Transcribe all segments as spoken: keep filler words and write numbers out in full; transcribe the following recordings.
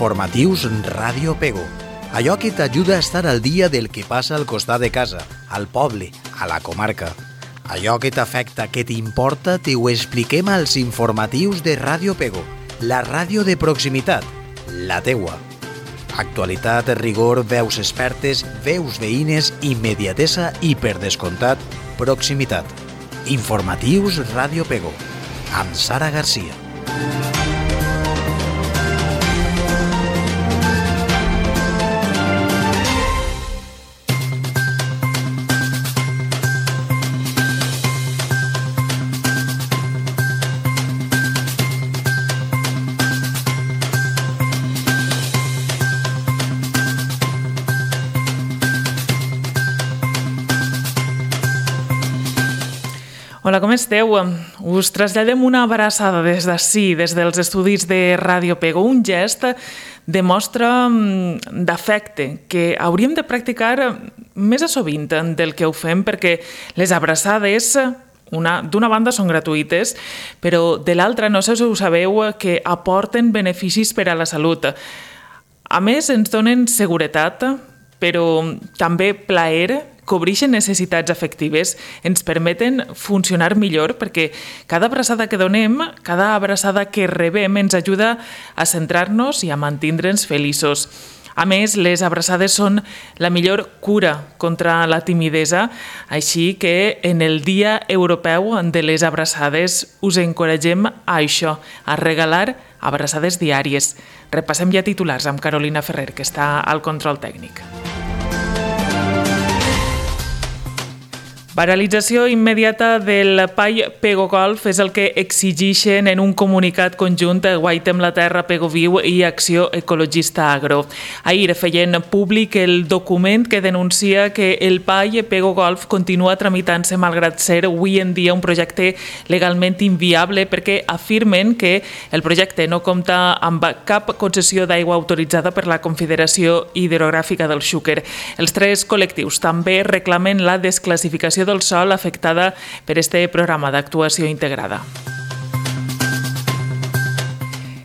Informatius Ràdio Pego. Allò que t'ajuda a estar al dia del que passa al costat de casa, al poble, a la comarca. Allò que t'afecta, que t'importa, t'ho expliquem als informatius de Ràdio Pego, la ràdio de proximitat, la teua. Actualitat, rigor, veus expertes, veus veïnes, immediatesa i, per descomptat, proximitat. Informatius Ràdio Pego, amb Sara Garcia. Hola, com esteu? Us traslladem una abraçada des d'ací, des dels estudis de Ràdio Pego, un gest de mostra d'afecte que hauríem de practicar més a sovint del que ho fem, perquè les abraçades d'una banda són gratuïtes, però de l'altra, no sé si ho sabeu, que aporten beneficis per a la salut. A més, ens donen seguretat, però també plaer, cobreixen necessitats afectives, ens permeten funcionar millor perquè cada abraçada que donem, cada abraçada que rebem ens ajuda a centrar-nos i a mantindre'ns feliços. A més, les abraçades són la millor cura contra la timidesa, així que en el Dia Europeu de les Abraçades us encoratgem a això, a regalar abraçades diàries. Repassem ja titulars amb Carolina Ferrer, que està al control tècnic. Paralització immediata del Pai Pego Golf és el que exigeixen en un comunicat conjunt Guaitem la Terra, Pego Viu i Acció Ecologista Agro. Ahir feien públic el document que denuncia que el Pai Pego Golf continua tramitant-se malgrat ser avui en dia un projecte legalment inviable perquè afirmen que el projecte no compta amb cap concessió d'aigua autoritzada per la Confederació Hidrogràfica del Xúquer. Els tres col·lectius també reclamen la desclassificació del sòl afectada per este programa d'actuació integrada.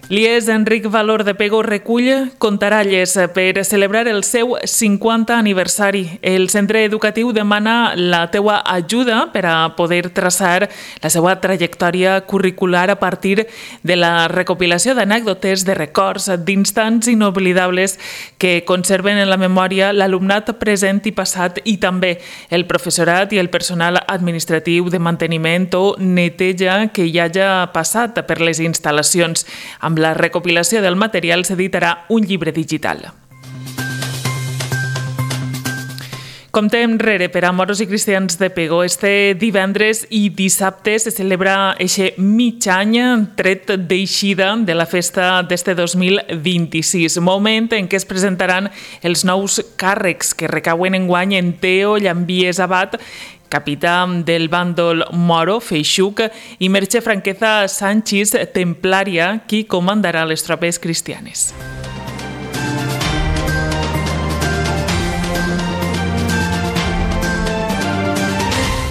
L'I E S Enric Valor de Pego recull contaralles per celebrar el seu cinquanta aniversari. El centre educatiu demana la teua ajuda per a poder traçar la seva trajectòria curricular a partir de la recopilació d'anècdotes, de records, d'instants inoblidables que conserven en la memòria l'alumnat present i passat i també el professorat i el personal administratiu de manteniment o neteja que hi hagi passat per les instal·lacions. Amb la recopilació del material s'editarà un llibre digital. Compte enrere per a moros i cristians de Pego. Este divendres i dissabte se celebra eixe mig any tret d'eixida de la festa d'este dos mil vint-i-sis, moment en què es presentaran els nous càrrecs que recauen enguany en Teo Llambies Abad, capità del bàndol moro, Feixuc, i Merche Franqueza Sánchez, templària, qui comandarà les tropes cristianes.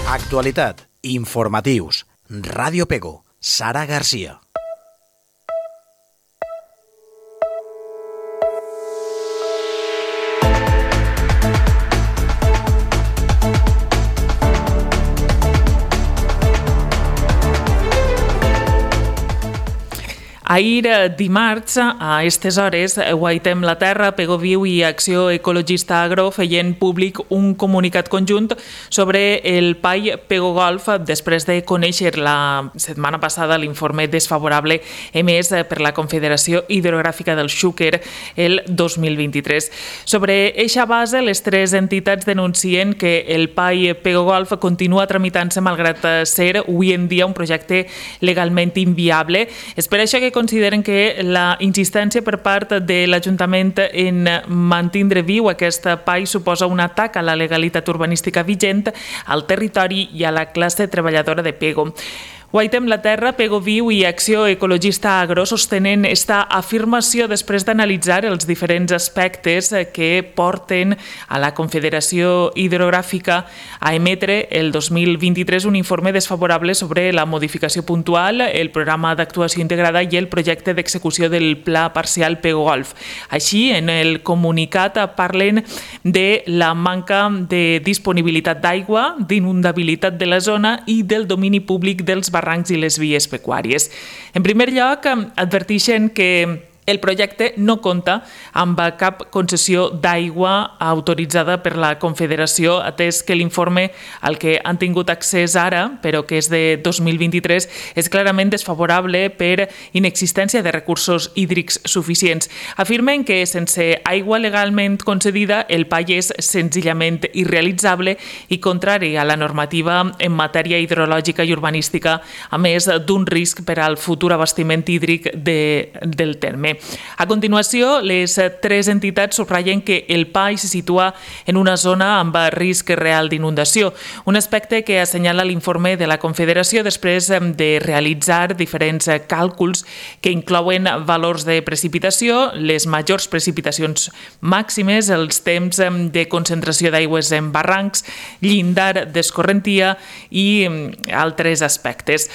Actualitat, informatius, Ràdio Pego, Sara Garcia. Ahir, dimarts, a aquestes hores, Guaitem la Terra, Pego Viu i Acció Ecologista Agro feien públic un comunicat conjunt sobre el Pai Pego Golf després de conèixer la setmana passada l'informe desfavorable emès per la Confederació Hidrogràfica del Xúquer el dos mil vint-i-tres. Sobre eixa base, les tres entitats denuncien que el Pai Pego Golf continua tramitant-se malgrat ser avui en dia un projecte legalment inviable. És per això que consideren que la insistència per part de l'Ajuntament en mantindre viu aquest pai suposa un atac a la legalitat urbanística vigent, al territori i a la classe treballadora de Pego. Guaitem la Terra, Pego Viu i Acció Ecologista Agro sostenen esta afirmació després d'analitzar els diferents aspectes que porten a la Confederació Hidrogràfica a emetre el dos mil vint-i-tres un informe desfavorable sobre la modificació puntual, el programa d'actuació integrada i el projecte d'execució del Pla Parcial Pego Golf. Així, en el comunicat parlen de la manca de disponibilitat d'aigua, d'inundabilitat de la zona i del domini públic dels barrancs i les vies pecuàries. En primer lloc, adverteixen que el projecte no compta amb cap concessió d'aigua autoritzada per la Confederació, atès que l'informe al que han tingut accés ara, però que és de dos mil vint-i-tres, és clarament desfavorable per inexistència de recursos hídrics suficients. Afirmen que sense aigua legalment concedida, el P A I és senzillament irrealitzable i contrari a la normativa en matèria hidrològica i urbanística, a més d'un risc per al futur abastiment hídric de, del terme. A continuació, les tres entitats subratllen que el P A I se situa en una zona amb risc real d'inundació, un aspecte que assenyala l'informe de la Confederació després de realitzar diferents càlculs que inclouen valors de precipitació, les majors precipitacions màximes, els temps de concentració d'aigües en barrancs, llindar d'escorrentia i altres aspectes.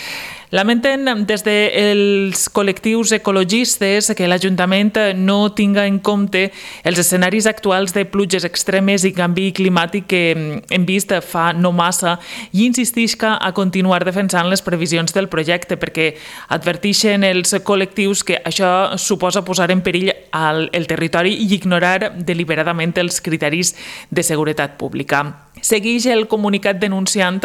Lamenten des dels col·lectius ecologistes que l'Ajuntament no tinga en compte els escenaris actuals de pluges extremes i canvi climàtic que hem vist fa no massa i insistisca a continuar defensant les previsions del projecte perquè adverteixen els col·lectius que això suposa posar en perill el, el territori i ignorar deliberadament els criteris de seguretat pública. Segueix el comunicat denunciant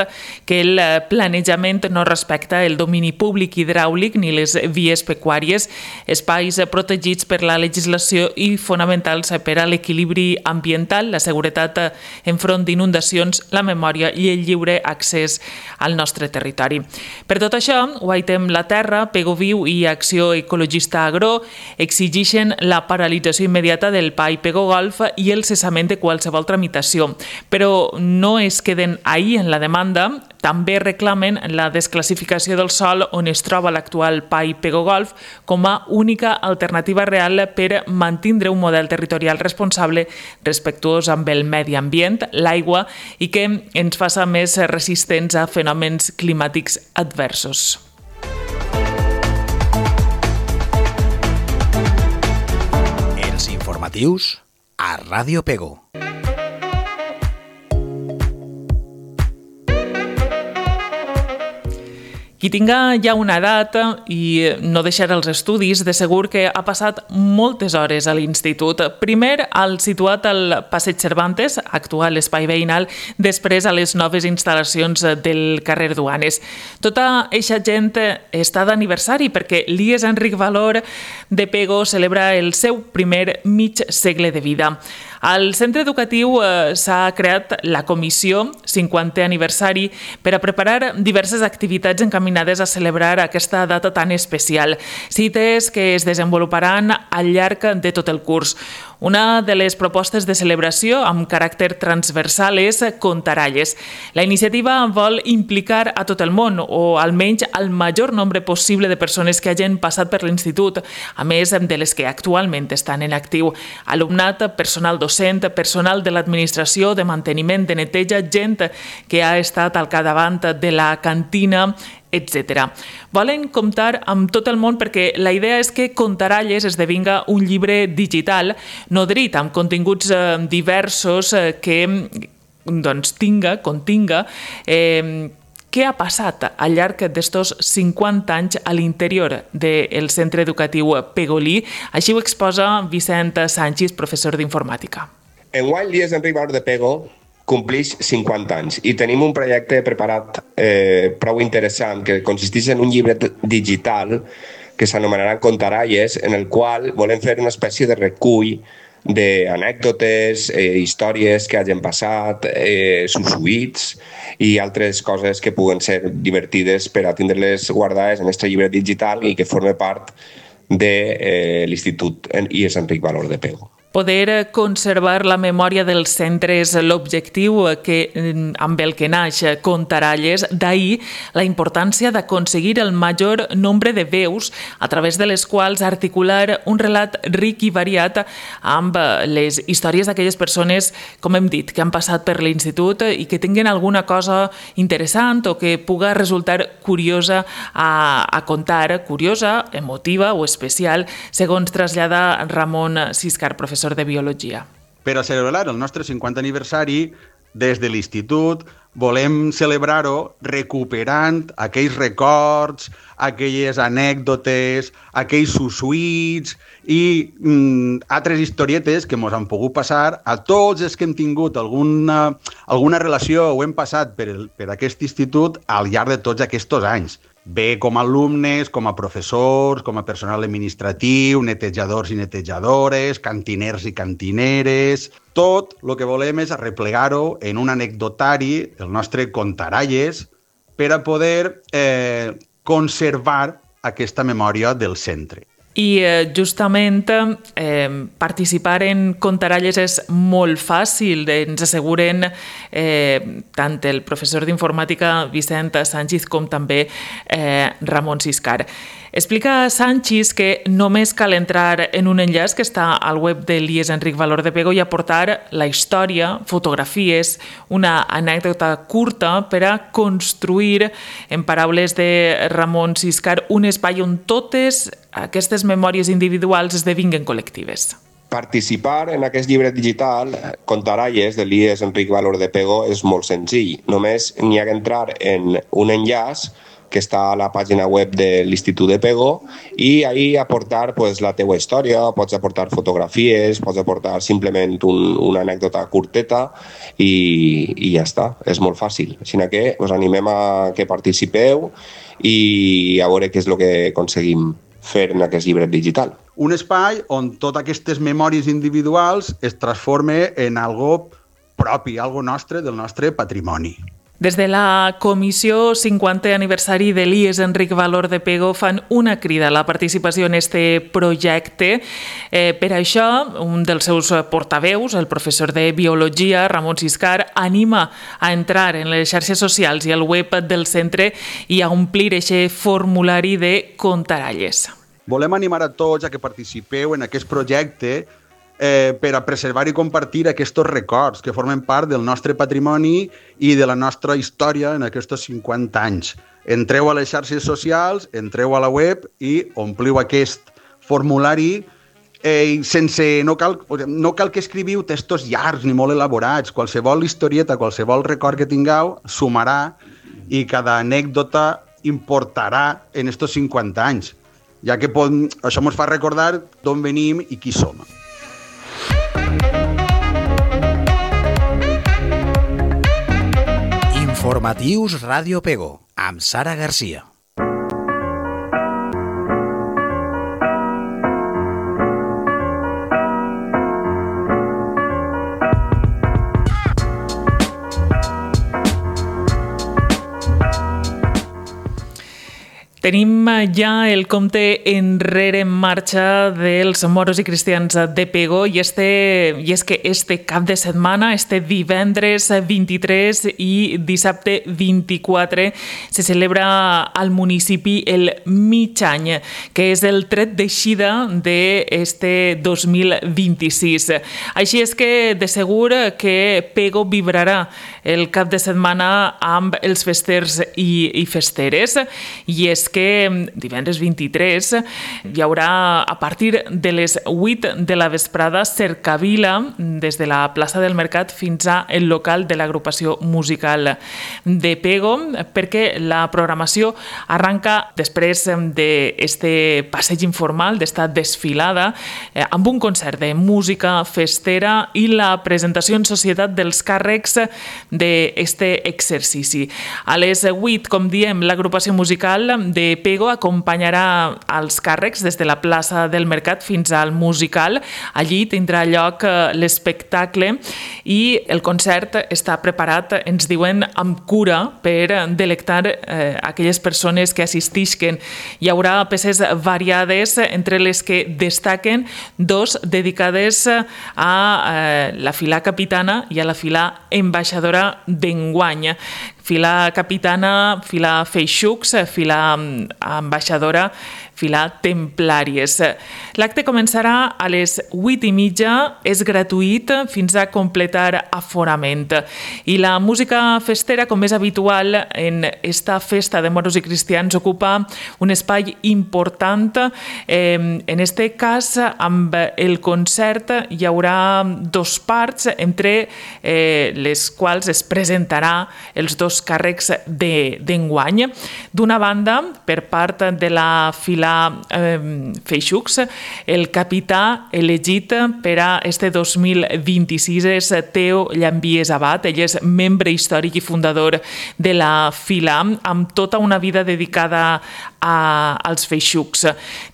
que el planejament no respecta el domini públic hidràulic ni les vies pecuàries, espais protegits per la legislació i fonamentals per a l'equilibri ambiental, la seguretat enfront d'inundacions, la memòria i el lliure accés al nostre territori. Per tot això, Guaitem la Terra, Pego Viu i Acció Ecologista Agro exigeixen la paralització immediata del P A I Pego Golf i el cessament de qualsevol tramitació, però no es queden ahí en la demanda, també reclamen la desclassificació del sòl on es troba l'actual P A I Pego Golf com a única alternativa real per mantindre un model territorial responsable, respectuós amb el medi ambient, l'aigua i que ens faça més resistents a fenòmens climàtics adversos. Els informatius a Ràdio Pego. Qui tinga ja una edat i no deixar els estudis, de segur que ha passat moltes hores a l'institut. Primer al situat al Passeig Cervantes, actual espai veïnal, després a les noves instal·lacions del carrer Duanes. Tota eixa gent està d'aniversari perquè l'I E S Enric Valor de Pego celebra el seu primer mig segle de vida. Al centre educatiu eh, s'ha creat la comissió cinquantè aniversari per a preparar diverses activitats encaminades a celebrar aquesta data tan especial, cites que es desenvoluparan al llarg de tot el curs. Una de les propostes de celebració amb caràcter transversal és Contaralles. La iniciativa vol implicar a tot el món, o almenys al major nombre possible de persones que hagin passat per l'institut, a més de les que actualment estan en actiu. Alumnat, personal docent, personal de l'administració, de manteniment, de neteja, gent que ha estat al capdavant de la cantina, etcètera. Volen comptar amb tot el món perquè la idea és que Contaralles esdevinga un llibre digital nodrit amb continguts eh, diversos eh, que doncs, tinga, continga eh, què ha passat al llarg d'estos cinquanta anys a l'interior del centre educatiu Pegolí. Així ho exposa Vicent Sánchez, professor d'informàtica. Enguany l'I E S Enric Valor de Pego complix cinquanta anys i tenim un projecte preparat eh, prou interessant que consisteix en un llibre digital que s'anomenarà Contaralles, en el qual volem fer una espècie de recull d'anècdotes, eh, històries que hagin passat, eh, sussuits i altres coses que puguen ser divertides per a tindre-les guardades en aquest llibre digital i que forme part de eh, l'Institut I E S Enric Valor de Pego. Poder conservar la memòria del centre és l'objectiu que, amb el que naix Contaralles, d'ahir la importància d'aconseguir el major nombre de veus a través de les quals articular un relat ric i variat amb les històries d'aquelles persones, com hem dit, que han passat per l'institut i que tinguin alguna cosa interessant o que puga resultar curiosa a, a contar, curiosa, emotiva o especial, segons trasllada Ramon Siscar, professor de Biologia. Per a celebrar el nostre cinquantè aniversari, des de l'institut volem celebrar-ho recuperant aquells records, aquelles anècdotes, aquells sussuits i mm, altres historietes que ens han pogut passar a tots els que hem tingut alguna, alguna relació o hem passat per, el, per aquest institut al llarg de tots aquests anys. Bé com a alumnes, com a professors, com a personal administratiu, netejadors i netejadores, cantiners i cantineres. Tot el que volem és arreplegar-ho en un anecdotari, el nostre Contaralles, per a poder eh, conservar aquesta memòria del centre. I eh, justament eh, participar en Contaralles és molt fàcil, ens asseguren eh, tant el professor d'informàtica Vicent Sánchez com també eh, Ramon Siscar. Explica Sánchez que només cal entrar en un enllaç que està al web de l'I E S Enric Valor de Pego i aportar la història, fotografies, una anècdota curta per a construir, en paraules de Ramon Siscar, un espai on totes aquestes memòries individuals esdevinguen col·lectives. Participar en aquest llibre digital, Contaralles, de l'I E S Enric Valor de Pego, és molt senzill. Només n'hi ha que entrar en un enllaç que està a la pàgina web de l'Institut de Pego i ahí aportar pues, la teua història, pots aportar fotografies, pots aportar simplement un, una anècdota curteta i, i ja està, és molt fàcil. Així que us animem a que participeu i a veure què és el que aconseguim fer en aquest llibre digital. Un espai on totes aquestes memòries individuals es transforma en algo propi, algo nostre, del nostre patrimoni. Des de la Comissió cinquantè aniversari de l'I E S Enric Valor de Pego fan una crida a la participació en este projecte. Eh, per això, un dels seus portaveus, el professor de Biologia, Ramon Siscar, anima a entrar en les xarxes socials i al web del centre i a omplir aquest formulari de Contaralles. Volem animar a tots a que participeu en aquest projecte Eh, per a preservar i compartir aquests records que formen part del nostre patrimoni i de la nostra història en aquests cinquanta anys. Entreu a les xarxes socials, entreu a la web i ompliu aquest formulari eh, sense, no cal, no cal que escriviu textos llargs ni molt elaborats. Qualsevol historieta, qualsevol record que tingueu sumarà i cada anècdota importarà en aquests cinquanta anys, ja que pot, això ens fa recordar d'on venim i qui som. Informatius Ràdio Pego, amb Sara Garcia. Tenim ja el compte enrere en marxa dels moros i cristians de Pego i, este, i és que este cap de setmana, este divendres vint-i-tres i dissabte vint-i-quatre, se celebra al municipi el mig any, que és el tret d'eixida d'este dos mil vint-i-sis. Així és que de segur que Pego vibrarà el cap de setmana amb els festers i, i festeres, i és que que divendres vint-i-tres hi haurà a partir de les vuit de la vesprada cercavila des de la plaça del Mercat fins a el local de l'agrupació musical de Pego, perquè la programació arranca després d'este passeig informal, d'esta desfilada, eh, amb un concert de música festera i la presentació en societat dels càrrecs d'este exercici. A les vuit, com diem, l'agrupació musical de de Pego acompanyarà els càrrecs des de la plaça del Mercat fins al musical. Allí tindrà lloc l'espectacle i el concert està preparat, ens diuen, amb cura per delectar eh, aquelles persones que assistisquen. Hi haurà peces variades, entre les que destaquen dos dedicades a eh, la fila capitana i a la fila ambaixadora d'enguany. Fila capitana, fila feixucs, fila ambaixadora, fila templàries. L'acte començarà a les vuit i mitja, és gratuït fins a completar aforament. I la música festera, com és habitual en esta festa de moros i cristians, ocupa un espai important. En este cas, amb el concert hi haurà dos parts, entre les quals es presentarà els dos càrrecs d'enguany. D'una banda, per part de la fila eh, Feixucs, el capità elegit per a este dos mil vint-i-sis és Teo Llambies Abad. Ell és membre històric i fundador de la fila, amb tota una vida dedicada a, als Feixucs.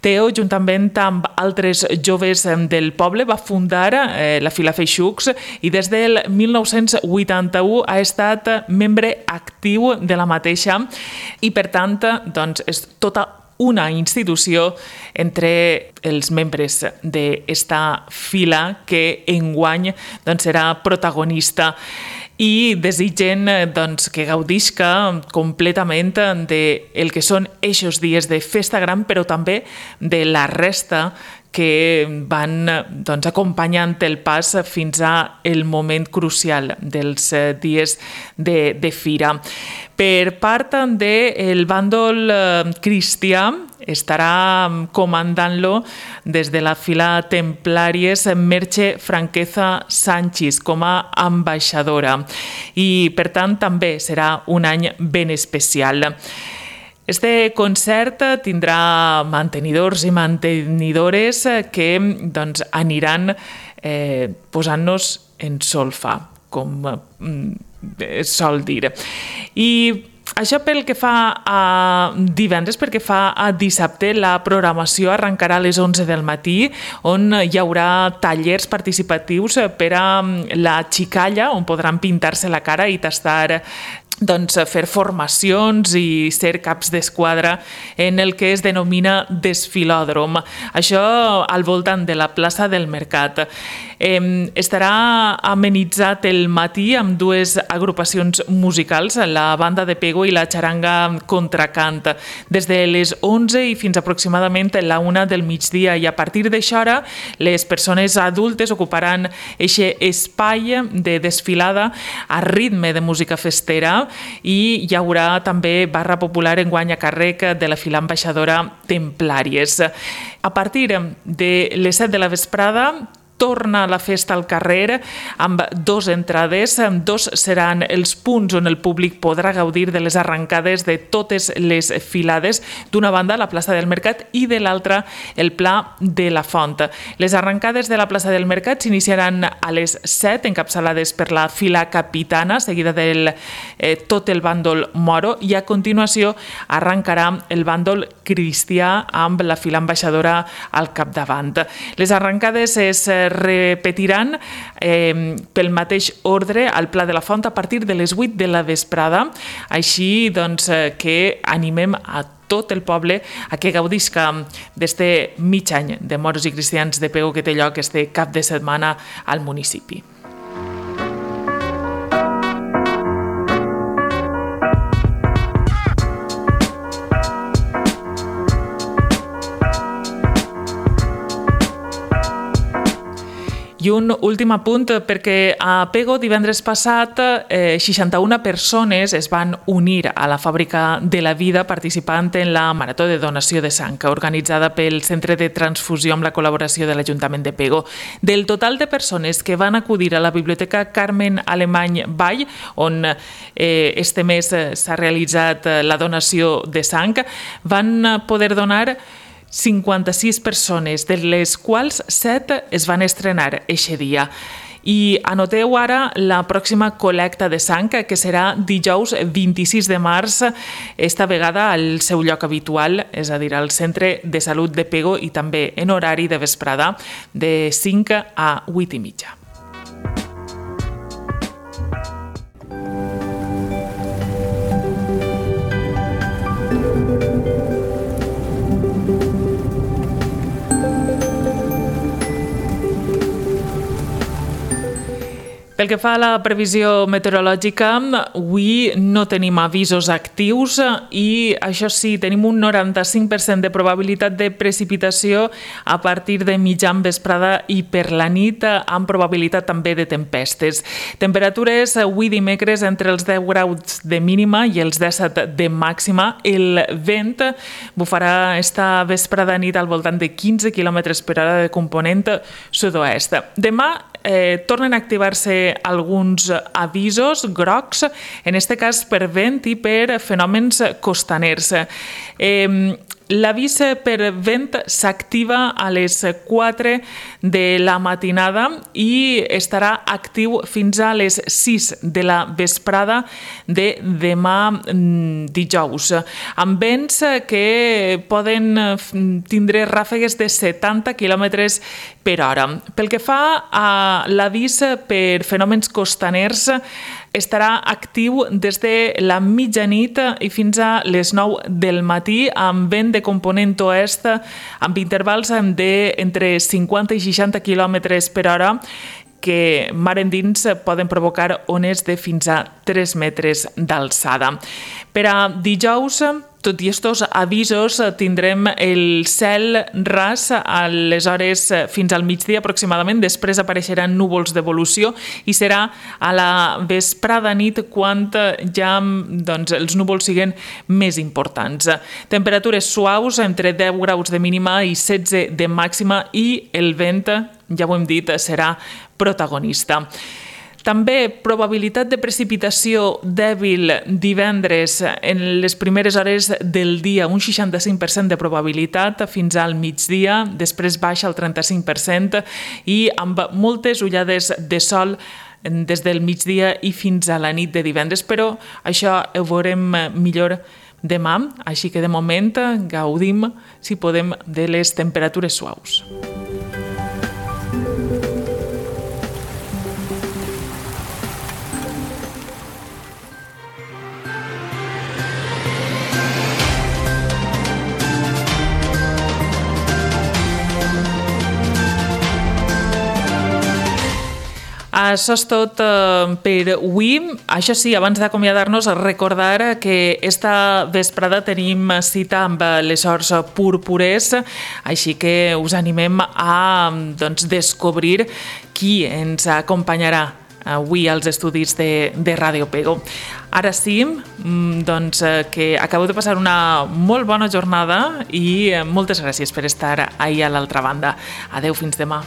Teo, juntament amb altres joves del poble, va fundar eh, la fila Feixucs i des del mil nou-cents vuitanta-u ha estat membre actiu de la mateixa i, per tant, doncs, és tota una institució entre els membres d'esta fila que enguany doncs, serà protagonista i desitgen doncs, que gaudisca completament del que són eixos dies de festa gran, però també de la resta que van doncs, acompanyant el pas fins al moment crucial dels dies de, de fira. Per part del bàndol cristià, estarà comandant-lo des de la fila Templàries Merche Franqueza Sánchez com a ambaixadora i, per tant, també serà un any ben especial. Este concert tindrà mantenidors i mantenidores que doncs, aniran eh, posant-nos en solfa, com eh, sol dir. I això pel que fa a divendres, pel que fa a dissabte, la programació arrencarà a les onze del matí, on hi haurà tallers participatius per a la xicalla, on podran pintar-se la cara i tastar doncs, fer formacions i ser caps d'esquadra en el que es denomina desfilòdrom. Això al voltant de la plaça del Mercat. Eh, estarà amenitzat el matí amb dues agrupacions musicals, la banda de Pego i la xaranga Contracant, des de les onze i fins aproximadament la una del migdia, i a partir d'això hora les persones adultes ocuparan aquest espai de desfilada a ritme de música festera i hi haurà també barra popular enguany a càrrec de la fila ambaixadora Templàries. A partir de les set de la vesprada torna la festa al carrer amb dos entrades. Dos seran els punts on el públic podrà gaudir de les arrencades de totes les filades. D'una banda, la plaça del Mercat, i de l'altra, el Pla de la Font. Les arrencades de la plaça del Mercat s'iniciaran a les set, encapçalades per la fila capitana, seguida del eh, tot el bàndol moro, i a continuació arrencarà el bàndol cristià amb la fila ambaixadora al capdavant. Les arrencades es repetiran eh, pel mateix ordre al Pla de la Font a partir de les vuit de la vesprada, així doncs, eh, que animem a tot el poble a que gaudisca d'este mig any de moros i cristians de Pego que té lloc este cap de setmana al municipi. I un últim apunt, perquè a Pego divendres passat eh, seixanta-una persones es van unir a la Fàbrica de la Vida participant en la Marató de Donació de Sang, organitzada pel Centre de Transfusió amb la col·laboració de l'Ajuntament de Pego. Del total de persones que van acudir a la Biblioteca Carmen Alemany Vall, on eh, este mes s'ha realitzat la donació de sang, van poder donar cinquanta-sis persones, de les quals set es van estrenar eixe dia. I anoteu ara la pròxima col·lecta de sang, que serà dijous vint-i-sis de març, esta vegada al seu lloc habitual, és a dir, al Centre de Salut de Pego, i també en horari de vesprada de cinc a vuit i mitja. Pel que fa a la previsió meteorològica, avui no tenim avisos actius i, això sí, tenim un noranta-cinc per cent de probabilitat de precipitació a partir de mitjan vesprada i per la nit, amb probabilitat també de tempestes. Temperatures avui dimecres entre els deu graus de mínima i els disset de màxima. El vent bufarà esta vesprada nit al voltant de quinze quilòmetres per hora de component sud-oest. Demà Eh, tornen a activar-se alguns avisos grocs, en este cas per vent i per fenòmens costaners. Eh, L'avís per vent s'activa a les quatre de la matinada i estarà actiu fins a les sis de la vesprada de demà dijous, amb vents que poden tindre ràfegues de setanta quilòmetres per hora. Pel que fa a l'avís per fenòmens costaners, estarà actiu des de la mitjanit i fins a les nou del matí, amb vent de component oest amb intervals d'entre cinquanta i seixanta quilòmetres per hora que mar endins poden provocar ones de fins a tres metres d'alçada. Per a dijous, tot i estos avisos, tindrem el cel ras a les hores fins al migdia aproximadament, després apareixeran núvols d'evolució i serà a la vesprada nit quan ja doncs, els núvols siguen més importants. Temperatures suaus entre deu graus de mínima i setze de màxima i el vent, ja ho hem dit, serà protagonista. També probabilitat de precipitació dèbil divendres en les primeres hores del dia, un seixanta-cinc per cent de probabilitat fins al migdia, després baixa al trenta-cinc per cent i amb moltes ullades de sol des del migdia i fins a la nit de divendres, però això ho veurem millor demà, així que de moment gaudim, si podem, de les temperatures suaus. Això és tot per avui. Això sí, abans d'acomiadar-nos, recordar que esta vesprada tenim cita amb les horts púrpures, així que us animem a doncs, descobrir qui ens acompanyarà avui als estudis de, de Ràdio Pego. Ara sí, doncs, que acabeu de passar una molt bona jornada i moltes gràcies per estar ahí a l'altra banda. Adeu, fins demà.